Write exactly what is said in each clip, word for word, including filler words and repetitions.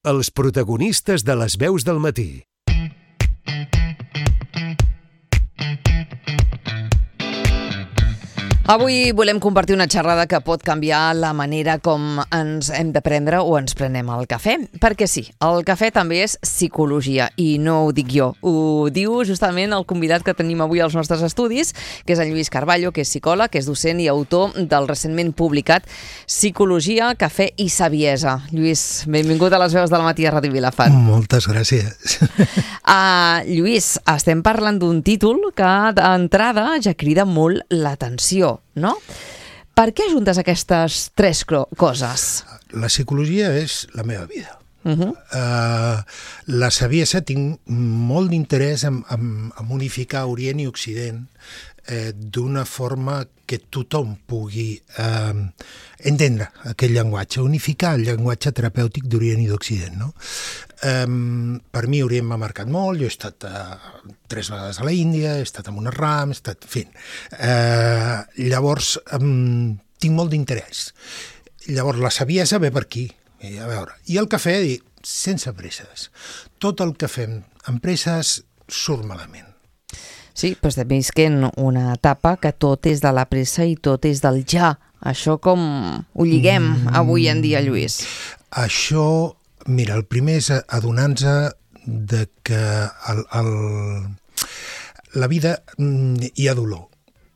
Els protagonistes de les veus del matí. Avui volem compartir una xerrada que pot canviar la manera com ens hem de prendre o ens prenem el cafè. Perquè sí, el cafè també és psicologia i no ho dic jo. Ho diu justament el convidat que tenim avui als nostres estudis, que és en Lluís Carballo, que és psicòleg, que és docent i autor del recentment publicat Psicologia, cafè i saviesa. Lluís, benvingut a les veus del matí a Ràdio Vilafant. Moltes gràcies. Uh, Lluís, estem parlant d'un títol que d'entrada ja crida molt l'atenció, no? Per què juntes aquestes tres coses? La psicologia és la meva vida. Uh-huh. Uh, la saviesa tinc molt d'interès en, en, en unificar Orient i Occident eh, d'una forma que tothom pugui eh, entendre aquell llenguatge, unificar el llenguatge terapèutic d'Orient i d'Occident, no? Um, per mi Orient m'ha marcat molt, jo he estat uh, tres vegades a la Índia, he estat amb una ram, he estat... En fi, uh, llavors um, tinc molt d'interès. Llavors la saviesa ve per aquí, i a veure. I el cafè, dic, sense presses. Tot el que fem amb presses surt malament. Sí, però estem visquent una etapa que tot és de la pressa i tot és del ja. Això com ho lliguem mm. avui en dia, Lluís? Això... Mira, el primer és adonar-nos de que el, el, la vida hi ha dolor.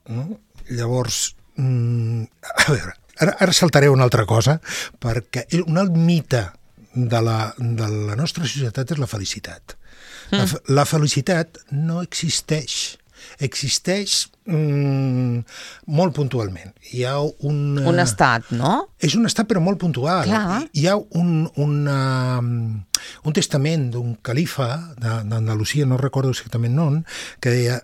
No? Llavors, a veure, ara, ara saltaré una altra cosa, perquè un alt mite de la, de la nostra societat és la felicitat. Mm. La, la felicitat no existeix. Existeix mm, molt puntualment. Hi ha un... Un estat, no? És un estat, però molt puntual. Clar. Hi ha un, una, un testament d'un califa d'Andalusia, no recordo exactament on, que deia,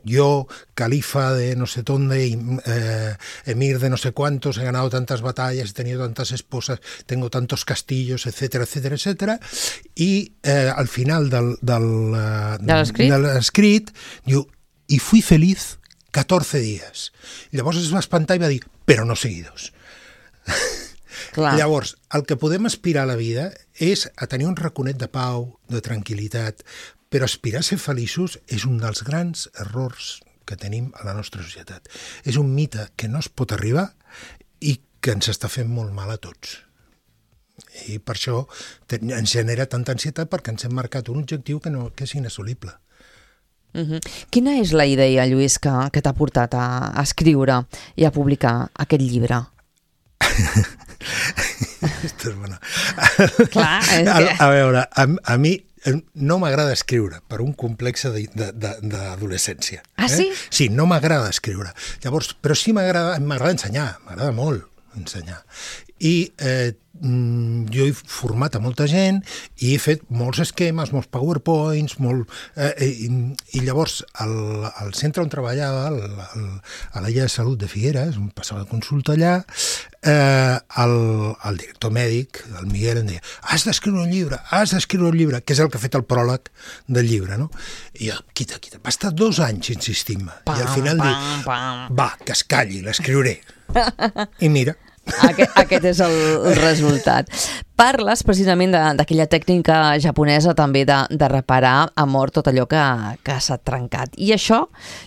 jo, califa de no sé dónde, eh, emir de no sé cuántos, he ganado tantas batallas, he tenido tantas esposas, tengo tantos castillos, etcétera, etcétera, etcétera, i eh, al final del, del, de l'escrit diu, y fui feliz catorze días. Llavors es va espantar i va dir, però no seguidos. Clar. Llavors, el que podem aspirar a la vida és a tenir un raconet de pau, de tranquil·litat, però aspirar a ser feliços és un dels grans errors que tenim a la nostra societat. És un mite que no es pot arribar i que ens està fent molt mal a tots. I per això ens genera tanta ansietat perquè ens hem marcat un objectiu que, no, que és inassolible. Uh-huh. Quina és la idea, Lluís, que, que t'ha portat a, a escriure i a publicar aquest llibre? Esto és bona. Clar, és a, que... a veure, a, a mi no m'agrada escriure per un complex d'adolescència. Ah, sí? Eh? Sí, no m'agrada escriure. Llavors, però sí m'agrada m'agrada ensenyar, m'agrada molt ensenyar. I eh, jo he format a molta gent i he fet molts esquemes, molts powerpoints, molt, eh, i, i llavors al, al centre on treballava, al, al, a l'Illa de Salut de Figueres, on passava de consulta allà, eh, el, el director mèdic, el Miguel, em deia, has d'escriure un llibre, has d'escriure un llibre, que és el que ha fet el pròleg del llibre, no? I jo, quita, quita, va estar dos anys insistint-me, i al final dic, va, que es calli, l'escriuré. I mira... Aquest, aquest és el, el resultat. Parles precisament d'aquella tècnica japonesa també de, de reparar a mort tot allò que, que s'ha trencat. I això,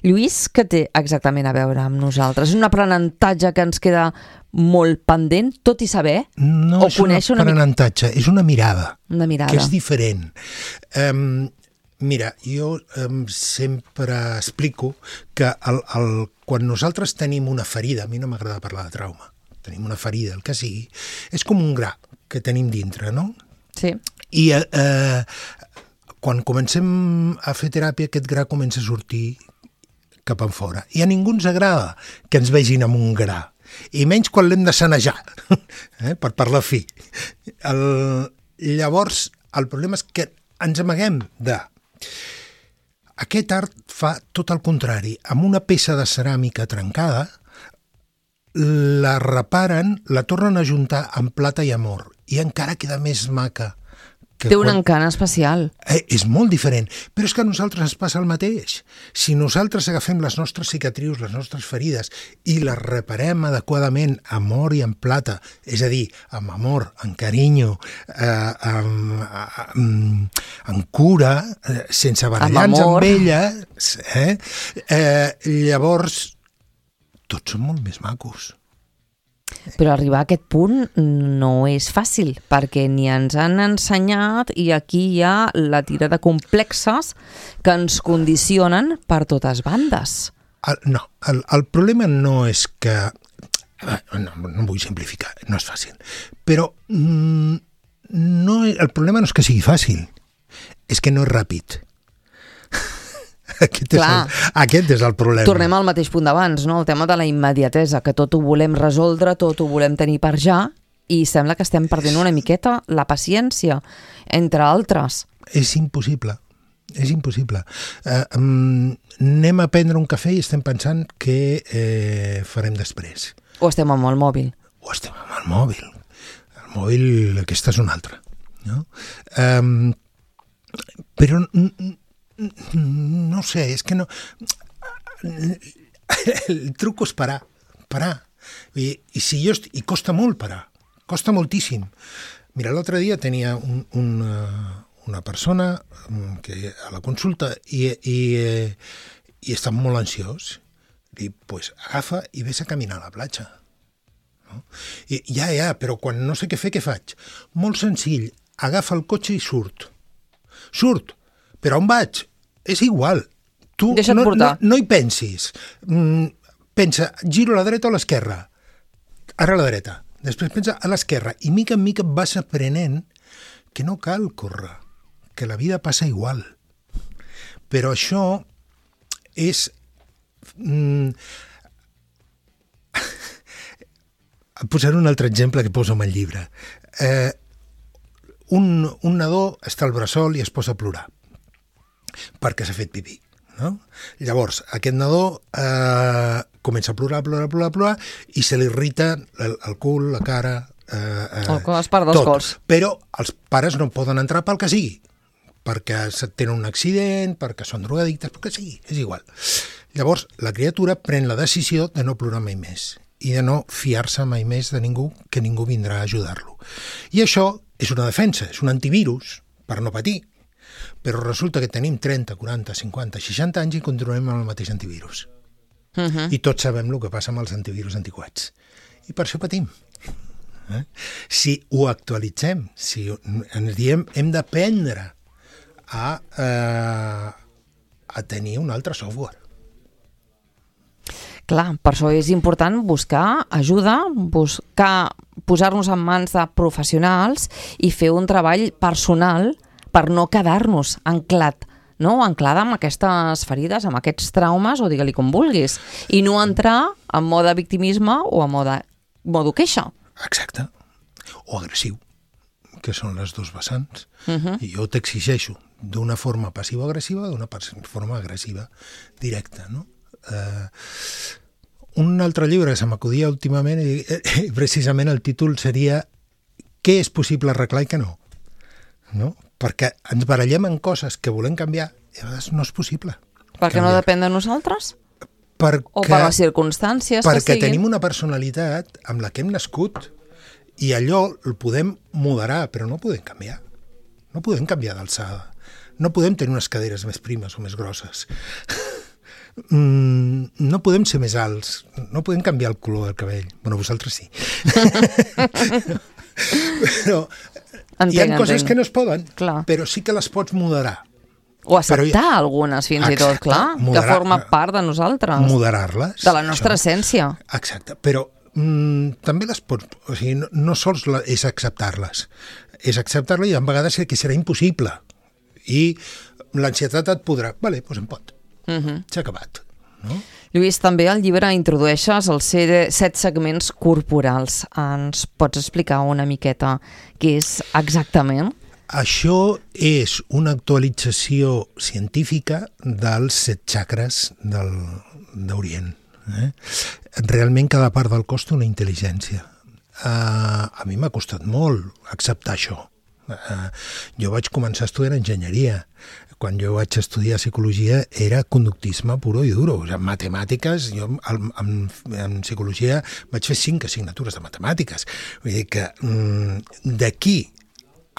Lluís, què té exactament a veure amb nosaltres? És un aprenentatge que ens queda molt pendent, tot i saber? No o és un aprenentatge, una... és una mirada, una mirada, que és diferent. Um, mira, jo um, sempre explico que el, el, quan nosaltres tenim una ferida, a mi no m'agrada parlar de trauma, tenim una ferida, el que sigui, és com un gra que tenim dintre, no? Sí. I eh, quan comencem a fer teràpia, aquest gra comença a sortir cap enfora. I a ningú ens agrada que ens vegin amb un gra. I menys quan l'hem de sanejar, eh, per parlar fi. El, llavors, el problema és que ens amaguem de... Aquest art fa tot el contrari. Amb una peça de ceràmica trencada, la reparen, la tornen a juntar amb plata i amor i encara queda més maca Té un encant especial. Eh, és molt diferent, però és que a nosaltres ens passa el mateix. Si nosaltres agafem les nostres cicatrius, les nostres ferides, i les reparem adequadament amb or i amb plata, és a dir, amb amor, amb carinyo, eh, amb, amb, amb cura, eh, sense barallar-nos amb, amb elles, eh, eh, llavors tots són molt més macos. Però arribar a aquest punt no és fàcil, perquè ni ens han ensenyat i aquí hi ha la tira de complexes que ens condicionen per totes bandes. El, no, el, el problema no és que... No, no vull simplificar, no és fàcil. Però mm, no, el problema no és que sigui fàcil, és que no és ràpid. Aquest és, el, aquest és el problema. Tornem al mateix punt d'abans, no? El tema de la immediatesa, que tot ho volem resoldre, tot ho volem tenir per ja, i sembla que estem perdent una miqueta la paciència, entre altres. És impossible, és impossible. Uh, um, anem a prendre un cafè i estem pensant què eh, farem després. O estem amb el mòbil. O estem amb el mòbil. El mòbil, aquesta és una altra. No? Um, però... No sé, és que no... El truc és parar, parar. I, i, si jo est... I costa molt parar, costa moltíssim. Mira, l'altre dia tenia un, una, una persona que a la consulta i, i, i estava molt ansiós. I pues, agafa i ves a caminar a la platja. No? I, ja, ja, però quan no sé què fer, què faig? Molt senzill, agafa el cotxe i surt. Surt, però on vaig? És igual. Tu no, no, no hi pensis. Mm, pensa, giro a la dreta o a l'esquerra. Ara a la dreta. Després pensa a l'esquerra. I mica en mica vas aprenent que no cal córrer, que la vida passa igual. Però això és... Mm, posaré un altre exemple que poso en el llibre. Eh, un, un nadó està al bressol i es posa a plorar perquè s'ha fet pipí. No? Llavors, aquest nadó eh, comença a plorar, plorar, plorar, plorar i se li irrita el, el cul, la cara... Eh, eh, el cos, part dels tot. cols. Però els pares no poden entrar pel que sigui, perquè tenen un accident, perquè són drogadictes, pel que sigui, és igual. Llavors, la criatura pren la decisió de no plorar mai més i de no fiar-se mai més de ningú, que ningú vindrà a ajudar-lo. I això és una defensa, és un antivirus per no patir. Però resulta que tenim trenta, quaranta, cinquanta, seixanta anys i continuem amb el mateix antivirus. Uh -huh. I tots sabem el que passa amb els antivirus antiquats. I per això patim. Eh? Si ho actualitzem, si ens diem hem d'aprendre a, eh, a tenir un altre software. Clar, per això és important buscar ajuda, buscar posar-nos en mans de professionals i fer un treball personal per no quedar-nos anclat, no? Anclada amb aquestes ferides, amb aquests traumes, o digue-li com vulguis, i no entrar en mode victimisme o en mode, mode queixa. Exacte. O agressiu, que són les dos vessants. Uh -huh. I jo t'exigeixo d'una forma passiva-agressiva o d'una forma agressiva directa, no? Eh, un altre llibre que se m'acudia últimament, i eh, precisament el títol seria Què és possible arreglar i què no? No? Perquè ens barallem en coses que volem canviar i a vegades no és possible. Perquè canviar. No depèn de nosaltres? Perquè, o per les circumstàncies perquè que siguin? Tenim una personalitat amb la que hem nascut i allò el podem moderar, però no podem canviar. No podem canviar d'alçada. No podem tenir unes caderes més primes o més grosses. Mm, no podem ser més alts. No podem canviar el color del cabell. Bueno, vosaltres sí. Però entenc, hi ha coses entenc. Que no es poden, clar. Però sí que les pots moderar. O acceptar ha... algunes, fins exacte, i tot, clar, moderar, que forma part de nosaltres. Moderar-les. De la nostra això. Essència. Exacte, però mm, també les pots... O sigui, no, no sols la, és acceptar-les. És acceptar-les i a vegades que serà impossible. I l'ansietat et podrà... Vale, doncs em pot. Uh -huh. S'ha acabat. No? Lluís, també al llibre introdueixes els set segments corporals. Ens pots explicar una miqueta què és exactament? Això és una actualització científica dels set xacres d'Orient. Eh? Realment cada part del cos té una intel·ligència. Uh, a mi m'ha costat molt acceptar això. Uh, jo vaig començar estudiant enginyeria. Quan jo vaig estudiar psicologia era conductisme puro i duro. O sigui, matemàtiques, jo en, en, en psicologia vaig fer cinc assignatures de matemàtiques. Vull dir que mm, d'aquí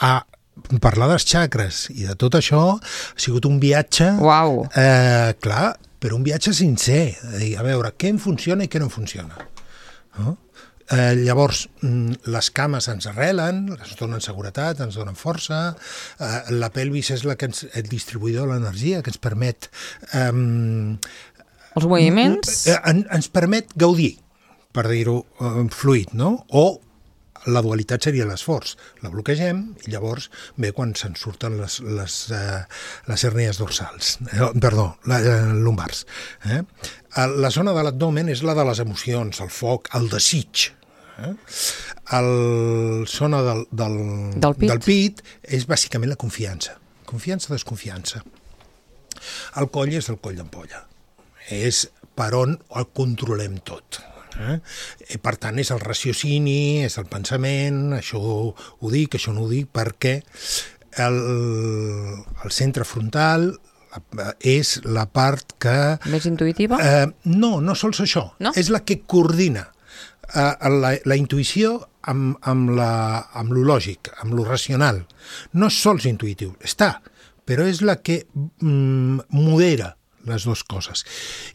a parlar dels xacres i de tot això ha sigut un viatge... Uau! Eh, clar, però un viatge sincer. De dir, a veure, què em funciona i què no em funciona. No? Eh, llavors, les cames ens arrelen, ens donen seguretat, ens donen força, eh, la pelvis és la que ens, el distribuïdor de l'energia, que ens permet... Eh, Els moviments? Eh, en, ens permet gaudir, per dir-ho eh, fluid, no? O la dualitat seria l'esforç. La bloquegem i llavors ve quan se'n surten les, les, eh, les hèrnies dorsals, eh, perdó, la, eh, lumbars. Eh? La zona de l'abdomen és la de les emocions, el foc, el desig. Eh? El zona del, del, del, pit. del pit és bàsicament la confiança. Confiança, desconfiança. El coll és el coll d'ampolla. És per on el controlem tot. Eh? I per tant és el raciocini, és el pensament, això ho dic, això no ho dic, perquè el, el centre frontal és la part que... Més intuïtiva? Eh, no, no sols això. No? És la que coordina eh, la, la intuïció amb, amb, la, amb lo lògic, amb lo racional. No és sols intuïtiu, està, però és la que mm, modera les dues coses.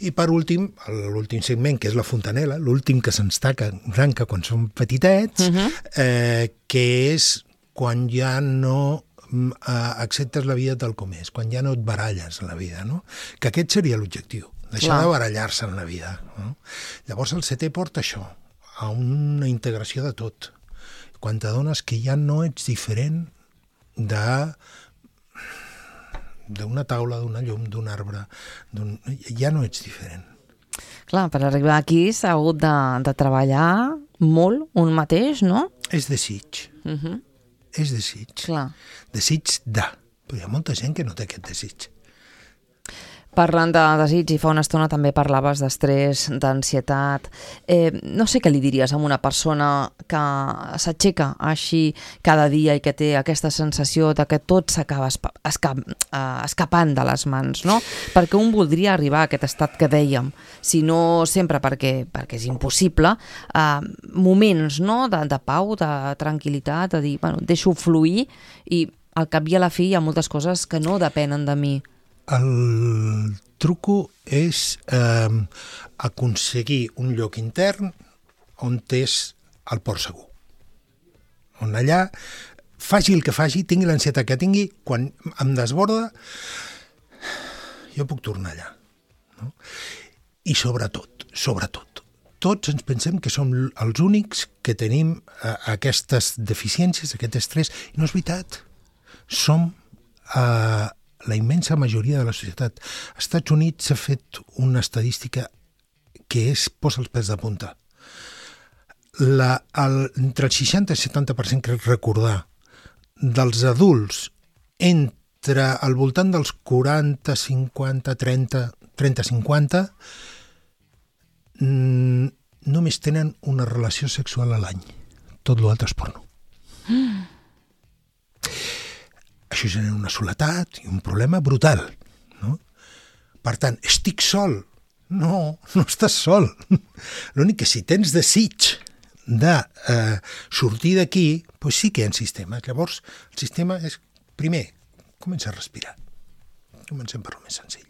I per últim, l'últim segment, que és la fontanela, l'últim que se'ns tanca quan som petitets, uh-huh. eh, que és quan ja no eh, acceptes la vida tal com és, quan ja no et baralles en la vida, no? Que aquest seria l'objectiu, deixar Clar. de barallar-se en la vida. No? Llavors el setè porta això, a una integració de tot. Quan t'adones que ja no ets diferent de... d'una taula, d'una llum, d'un arbre, d'un... ja no ets diferent. Clar, per arribar aquí s'ha hagut de, de treballar molt un mateix, no? És desig. Uh-huh. És desig. Clar. Desig de. Però hi ha molta gent que no té aquest desig. Parlant de desig, i fa una estona també parlaves d'estrès, d'ansietat. Eh, no sé què li diries a una persona que s'aixeca així cada dia i que té aquesta sensació de que tot s'acaba esca escapant de les mans, no? Perquè un voldria arribar a aquest estat que dèiem, si no sempre perquè, perquè és impossible, eh, moments, no?, de, de pau, de tranquil·litat, de dir, bueno, deixo fluir i al cap i a la fi hi ha moltes coses que no depenen de mi. El truco és eh, aconseguir un lloc intern on és el port segur. On allà, faci el que faci, tingui l'ansietat que tingui, quan em desborda, jo puc tornar allà. No? I sobretot, sobretot, tots ens pensem que som els únics que tenim eh, aquestes deficiències, aquest estrès, i no és veritat. Som... Eh, la immensa majoria de la societat. Als Estats Units s'ha fet una estadística que és posa els pèls de punta. La, el, entre el seixanta i setanta per cent, crec recordar, dels adults entre al voltant dels quaranta, cinquanta, trenta, trenta, cinquanta, mm, només tenen una relació sexual a l'any. Tot l'altre és porno. Mm. Això genera una soledat i un problema brutal. No? Per tant, estic sol. No, no estàs sol. L'únic que si tens desig de eh, sortir d'aquí, doncs sí que hi ha sistemes. Llavors, el sistema és, primer, comença a respirar. Comencem per lo més senzill.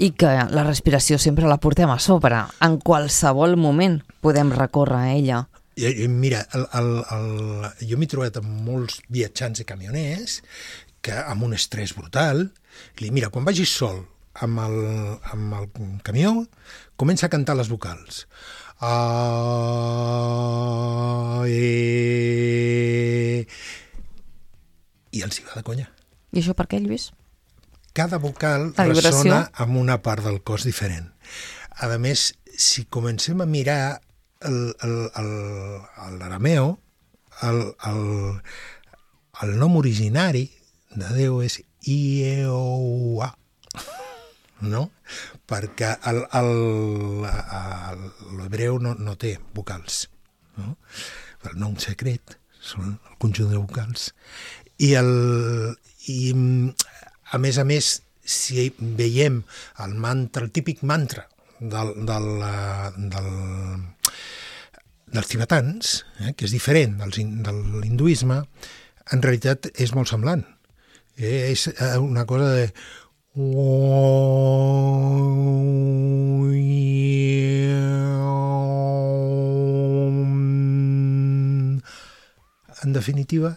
I que la respiració sempre la portem a sobre. En qualsevol moment podem recórrer a ella. I, mira, el, el, el, jo m'he trobat amb molts viatjants i camioners que amb un estrès brutal, i mira, quan vagis sol amb el, amb el camió, comença a cantar les vocals. Ah, eh, i els hi va de conya. I això per què, Lluís? Cada vocal ressona amb una part del cos diferent. A més, si comencem a mirar l'arameo, el, el, el nom originari de Déu és I-E-O-U-A, no? Perquè l'hebreu no, no té vocals. No? El nom secret són el conjunt de vocals. I, el, i a més a més, si veiem el mantra, el típic mantra del, del, del, dels tibetans, eh, que és diferent del, de l'hinduisme, en realitat és molt semblant. Eh, és una cosa de... En definitiva,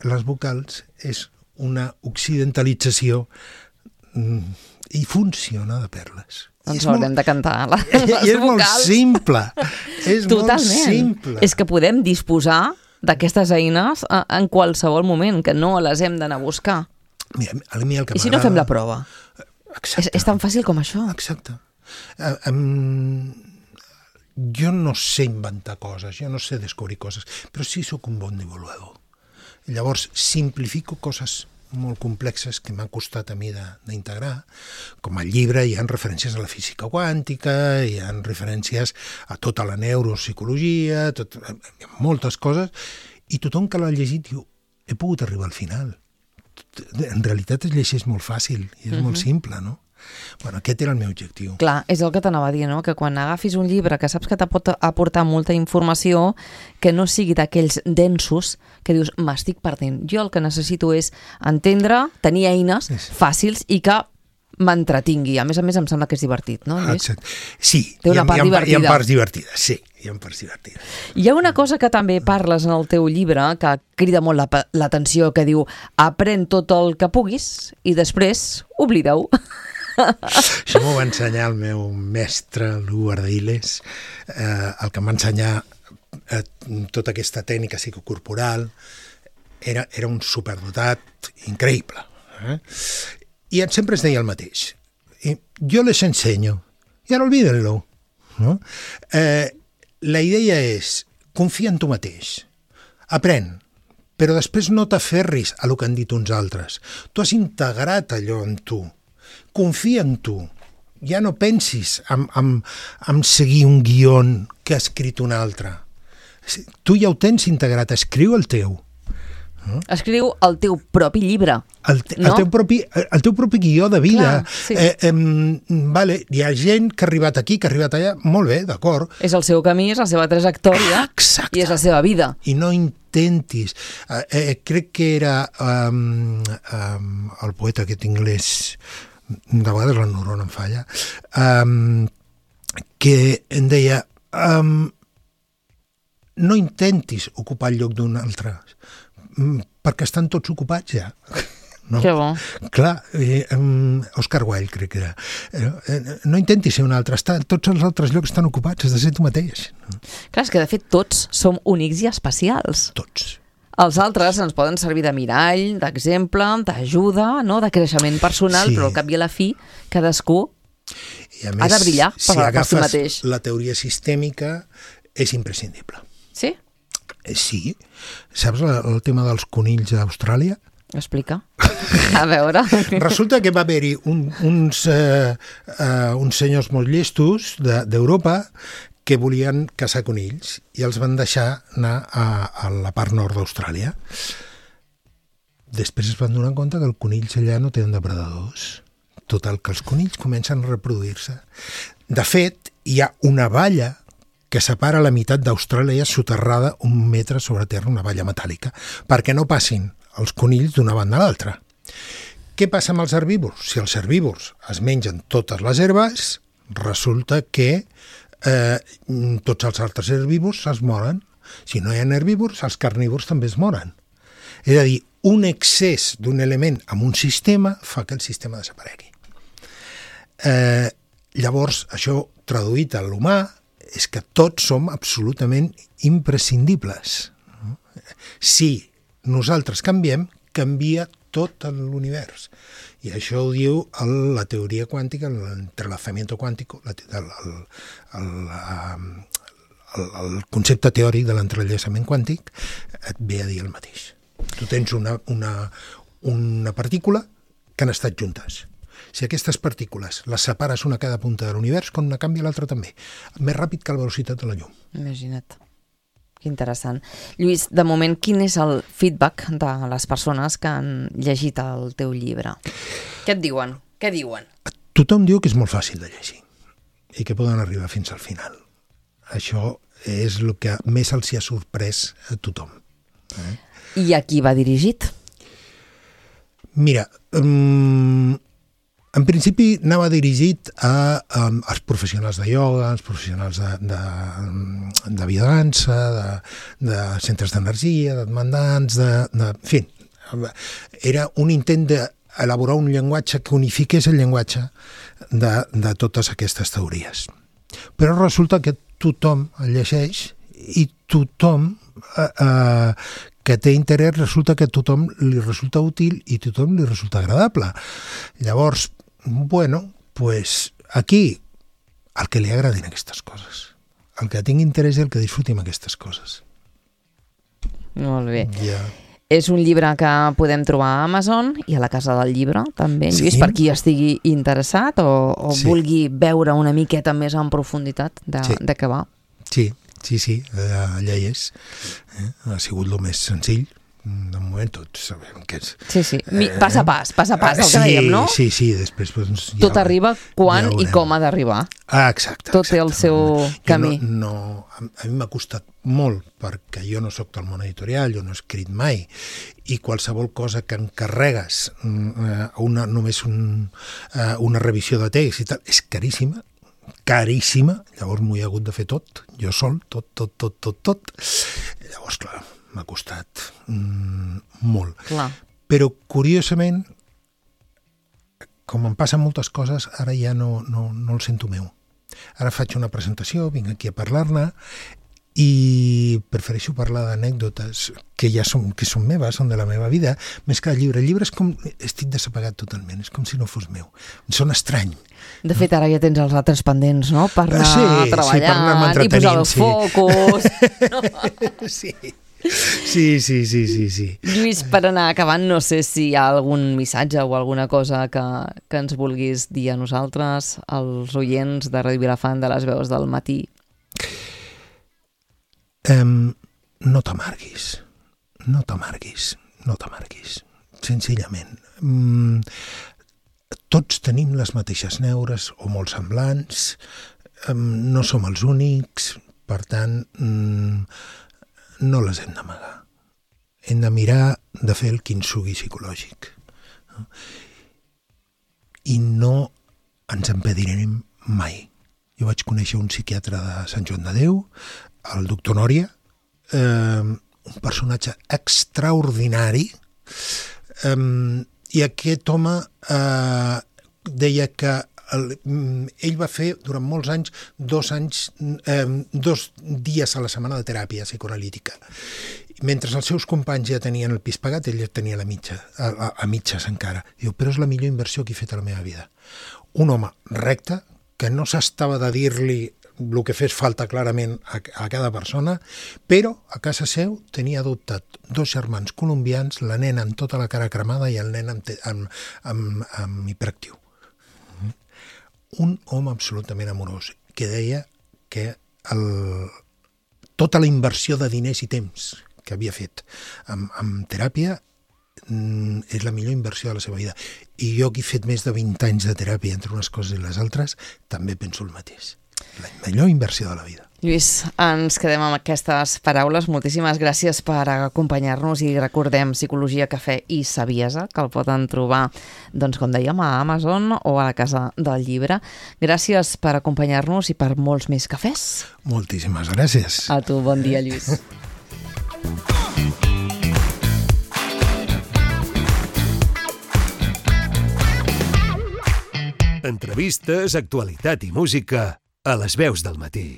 les vocals és una occidentalització i funciona de perles. Doncs haurem molt... de cantar les I és vocals. Molt simple. És Totalment. molt simple. És que podem disposar d'aquestes eines en qualsevol moment, que no les hem d'anar a buscar. Mira, a mi el que I si no fem la prova? Exacte. És, és tan fàcil com això. Exacte. Uh, um, jo no sé inventar coses, jo no sé descobrir coses, però sí sóc un bon divulgador. Llavors, simplifico coses molt complexes que m'han costat a mi d'integrar. Com al llibre hi ha referències a la física quàntica, hi ha referències a tota la neuropsicologia, tot, hi ha moltes coses, i tothom que l'ha llegit diu, he pogut arribar al final. En realitat es llegeix molt fàcil i és uh-huh. molt simple, no? Bueno, aquest era el meu objectiu. Clar, és el que t'anava a dir, no? Que quan agafis un llibre que saps que te pot aportar molta informació, que no sigui d'aquells densos que dius, m'estic perdent. Jo el que necessito és entendre, tenir eines fàcils i que m'entretingui. A més a més, em sembla que és divertit, no, Lluís? Exacte. Sí, Té una hi ha, part hi ha, divertida. Hi ha parts divertides, sí, hi ha parts divertides. Hi ha una cosa que també parles en el teu llibre que crida molt l'atenció, que diu, aprèn tot el que puguis i després oblida-ho. Això m'ho va ensenyar el meu mestre, l'Hugo Ardailes, eh, el que em va ensenyar eh, tota aquesta tècnica psicocorporal. Era, era un superdotat increïble. Eh? I sempre es deia el mateix. I jo les ensenyo, i ara olvídenlo. No? Eh, la idea és, confia en tu mateix, aprèn, però després no t'aferris a lo que han dit uns altres. Tu has integrat allò en tu. Confia en tu. Ja no pensis en, en, en seguir un guió que ha escrit un altre. Tu ja ho tens integrat, escriu el teu. No? Escriu el teu propi llibre. El, te, no? el, teu propi, el teu propi guió de vida. Clar, sí. eh, eh, vale, hi ha gent que ha arribat aquí, que ha arribat allà, molt bé, d'acord. És el seu camí, és la seva trajectòria. Exacte. I és la seva vida. I no intentis. Eh, eh, crec que era um, um, el poeta aquest anglès, de vegades la neurona em falla, um, que em deia um, no intentis ocupar el lloc d'un altre, perquè estan tots ocupats ja. No? Que bo. Clar, eh, um, Oscar Wilde crec que era. Eh, no intentis ser un altre, està, tots els altres llocs estan ocupats, has de ser tu mateix. No? Clar, és que de fet tots som únics i especials. Tots. Els altres ens poden servir de mirall, d'exemple, d'ajuda, no? De creixement personal, sí. Però al cap i a la fi cadascú I a més, ha de brillar per, si per si mateix. La teoria sistèmica és imprescindible. Sí? Eh, sí. Saps el, el tema dels conills a Austràlia? Explica. A veure. Resulta que va haver-hi un, uns, eh, eh, uns senyors molt llestos d'Europa de, que volien caçar conills i els van deixar anar a, a la part nord d'Austràlia. Després es van donar compte que els conills allà no tenen depredadors. Total, que els conills comencen a reproduir-se. De fet, hi ha una valla que separa la meitat d'Austràlia soterrada un metre sobre terra, una valla metàl·lica, perquè no passin els conills d'una banda a l'altra. Què passa amb els herbívors? Si els herbívors es mengen totes les herbes, resulta que eh, tots els altres herbívors es moren. Si no hi ha herbívors, els carnívors també es moren. És a dir, un excés d'un element en un sistema fa que el sistema desaparegui. Eh, llavors, això traduït a l'humà és que tots som absolutament imprescindibles. Si nosaltres canviem, canvia tot l'univers. I això ho diu el, la teoria quàntica, l'entrelazamiento quàntico, la, el, el, el, el, el concepte teòric de l'entrellaçament quàntic et ve a dir el mateix. Tu tens una, una, una partícula que han estat juntes. Si aquestes partícules les separes una a cada punta de l'univers, quan una canvia l'altra també. Més ràpid que la velocitat de la llum. Imagina't. Que interessant. Lluís, de moment, quin és el feedback de les persones que han llegit el teu llibre? Què et diuen? Què diuen? Tothom diu que és molt fàcil de llegir i que poden arribar fins al final. Això és el que més els hi ha sorprès a tothom. Eh? I a qui va dirigit? Mira, um, en principi anava dirigit a, a, als professionals de ioga, als professionals de, de, de biodança, de, de centres d'energia, de demandants, de, de, en fi, era un intent d'elaborar un llenguatge que unifiqués el llenguatge de, de totes aquestes teories. Però resulta que tothom el llegeix i tothom eh, eh, que té interès resulta que a tothom li resulta útil i a tothom li resulta agradable. Llavors, bueno, pues aquí, el que li agradin aquestes coses, el que tingui interès i el que disfruti amb aquestes coses. Molt bé. Ja. És un llibre que podem trobar a Amazon i a la Casa del Llibre, també, Lluís, sí. Per qui estigui interessat o, o sí. vulgui veure una miqueta més en profunditat de, sí. de què va. Sí, sí, sí, allà hi és. Eh? Ha sigut el més senzill. De moment tots sabem que és... Sí, sí, pas a pas, pas a pas, el que sí, dèiem, no? Sí, sí, després... Doncs, ja tot arriba quan ja i com ha d'arribar. Ah, exacte. Tot exacte. té el seu jo camí. No, no, a mi m'ha costat molt, perquè jo no sóc del món editorial, jo no he escrit mai, i qualsevol cosa que encarregues, una, només un, una revisió de text i tal, és caríssima, caríssima, llavors m'ho he hagut de fer tot, jo sol, tot, tot, tot, tot, tot. Llavors, clar, m'ha costat mm, molt. Clar. Però, curiosament, com em passen moltes coses, ara ja no, no, no el sento meu. Ara faig una presentació, vinc aquí a parlar-ne, i prefereixo parlar d'anècdotes que ja són, que són meves, són de la meva vida, més que el llibre. El llibre és com... estic desapagat totalment, és com si no fos meu. Em sona estrany. De fet, ara ja tens els altres pendents, no? Per anar sí, treballant sí, i posar el sí. focus. No? Sí. Sí, sí, sí, sí, sí. Lluís, per anar acabant, no sé si hi ha algun missatge o alguna cosa que, que ens vulguis dir a nosaltres, als oients de Ràdio Vilafant, de les veus del matí. Um, no t'amarguis, no t'amarguis, no t'amarguis, senzillament. Um, tots tenim les mateixes neures o molt semblants, um, no som els únics, per tant, um, no les hem d'amagar. Hem de mirar de fer el quinsugi psicològic. No? I no ens empedirem mai. Jo vaig conèixer un psiquiatre de Sant Joan de Déu, el doctor Nòria, eh, un personatge extraordinari, eh, i aquest home eh, deia que el, ell va fer durant molts anys, dos anys, eh, dos dies a la setmana de teràpia psicoanalítica. Mentre els seus companys ja tenien el pis pagat, ell ja tenia la mitja, a, a, a mitges encara. Diu, però és la millor inversió que he fet a la meva vida. Un home recte, que no s'estava de dir-li el que fes falta clarament a, a cada persona, però a casa seu tenia adoptat dos germans colombians, la nena amb tota la cara cremada i el nen amb, amb, amb, amb hiperactiu. Un home absolutament amorós, que deia que el, tota la inversió de diners i temps que havia fet amb, amb teràpia mm, és la millor inversió de la seva vida. I jo, que he fet més de vint anys de teràpia entre unes coses i les altres, també penso el mateix. La millor inversió de la vida. Lluís, ens quedem amb aquestes paraules. Moltíssimes gràcies per acompanyar-nos i recordem Psicologia, Cafè i Saviesa, que el poden trobar, doncs, com dèiem, a Amazon o a la Casa del Llibre. Gràcies per acompanyar-nos i per molts més cafès. Moltíssimes gràcies. A tu, bon dia, Lluís. Entrevistes, actualitat i música a les veus del matí.